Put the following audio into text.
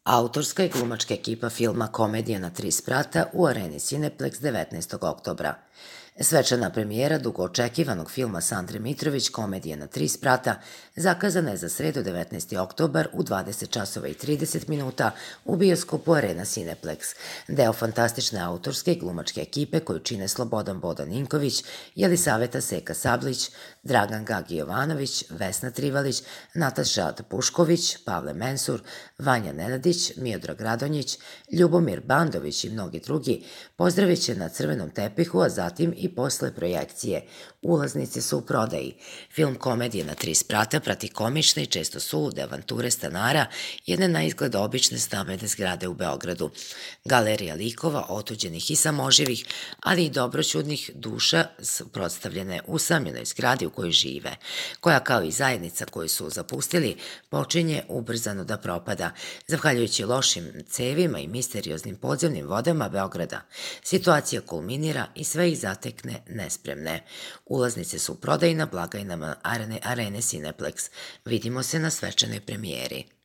Autorska i glumačka ekipa filma Komedija na tri sprata u areni Cineplex 19. oktobra. Svečana premijera dugo očekivanog filma Sandre Mitrović Komedija na tri sprata zakazana je za sredu 19. oktobar u 20 časova i 30 minuta u bioskopu Arena Cineplex. Deo fantastične autorske i glumačke ekipe koju čine Slobodan Bodan Ninković, Jelisaveta Seka Sablić, Dragan Gagi Jovanović, Vesna Trivalić, Nataša Pušković, Pavle Mensur, Vanja Nenadić, Miodrag Radonjić, Ljubomir Bandović i mnogi drugi pozdravit će na crvenom tepihu, a zatim i posle projekcije. Ulaznice su u prodaji. Film Komedije na tri sprata prati komične i često sulude avanture stanara jedne na izgled obične stambene zgrade u Beogradu. Galerija likova, otuđenih i samoživih, ali i dobroćudnih duša predstavljene u usamljenoj zgradi u kojoj žive, koja kao i zajednica koju su zapustili počinje ubrzano da propada, zahvaljujući lošim cevima i misterioznim podzemnim vodama Beograda. Situacija kulminira i sve ih zatekne nespremne. Ulaznice su u prodaji na blagajnama Arene Cineplex. Vidimo se na svečanoj premijeri.